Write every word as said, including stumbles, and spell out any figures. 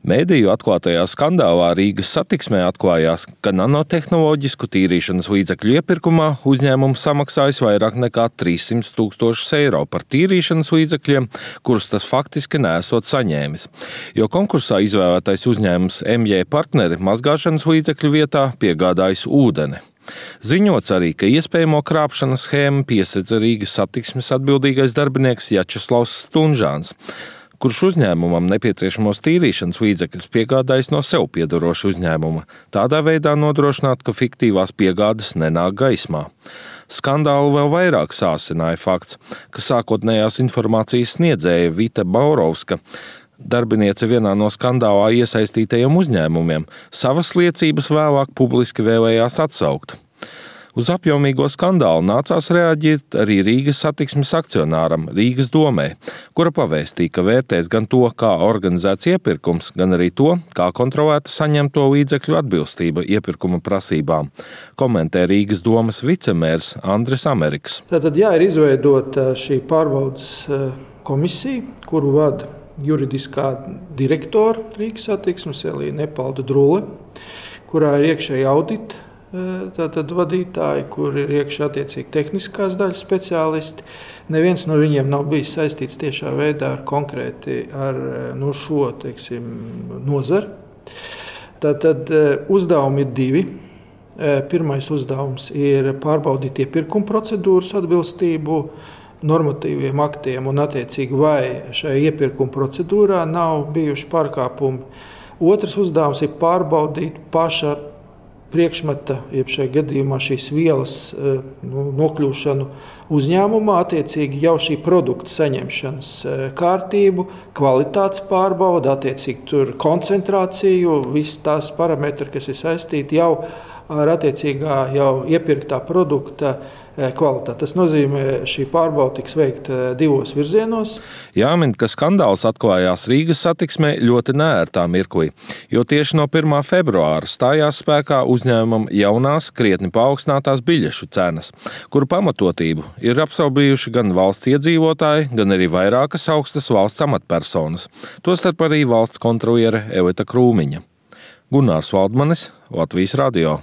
Mēdīju atklātajā skandālā Rīgas satiksmē atklājās, ka nanotehnoloģisku tīrīšanas līdzekļu iepirkumā uzņēmums samaksājis vairāk nekā trīssimt tūkstošus eiro par tīrīšanas līdzekļiem, kurus tas faktiski neesot saņēmis. Jo konkursā izvēlētais uzņēmums M J partneri mazgāšanas līdzekļu vietā piegādājis ūdeni. Ziņots arī, ka iespējamo krāpšanas schēmu piesedza Rīgas satiksmes atbildīgais darbinieks Jačeslavs Stunžāns, kurš uzņēmumam nepieciešamos tīrīšanas līdzekļus piegādājis no sev piedaroša uzņēmuma, tādā veidā nodrošināt, ka fiktīvās piegādes nenāk gaismā. Skandālu vēl vairāk sāsināja fakts, ka sākotnējās informācijas sniedzēja Vita Baurovska, darbiniece vienā no skandālā iesaistītajiem uzņēmumiem, savas liecības vēlāk publiski vēlējās atsaukt. Uz apjomīgo skandālu nācās reaģēt arī Rīgas satiksmes akcionāram Rīgas domē, kura pavēstīja, ka vērtēs gan to, kā organizēts iepirkums, gan arī to, kā kontrolēta saņemto līdzekļu atbilstība iepirkuma prasībām, komentē Rīgas domas vicemērs Andris Ameriks. Tātad jā, ir izveidota šī pārbaudas komisija, kuru vada juridiskā direktora Rīgas satiksmes Elīna Nepalda Drule, kurā ir iekšēji audita tātad vadītāji, kur ir iekšā attiecīgi tehniskās daļas speciālisti. Neviens no viņiem nav bijis saistīts tiešā veidā ar konkrēti ar no šo, teiksim, nozari. Tātad uzdevumi ir divi. Pirmais uzdevums ir pārbaudīt iepirkuma procedūras atbilstību normatīviem aktiem un attiecīgi vai šajā iepirkuma procedūrā nav bijuši pārkāpumi. Otrs uzdevums ir pārbaudīt paša priekšmeta, jeb šajā gadījumā šīs vielas nu, nokļūšanu uzņēmumā, attiecīgi jau šī produkta saņemšanas kārtību, kvalitātes pārbauda, attiecīgi tur koncentrāciju, visas tās parametri, kas ir saistīti jau ar attiecīgā jau iepirktā produkta kvalitāti. Tas nozīmē, šī pārbauda tiks veikta divos virzienos. Jāmin, ka skandāls atklājās Rīgas satiksmē ļoti neērtā mirklī, jo tieši no pirmā februāra stājās spēkā uzņēmumam jaunās, krietni paaugstinātās biļešu cenas, kuru pamatotību ir apšaubījuši gan valsts iedzīvotāji, gan arī vairākas augstas valsts amatpersonas, tostarp arī valsts kontroliere Evita Krūmiņa. Gunārs Valdmanis, Latvijas radio.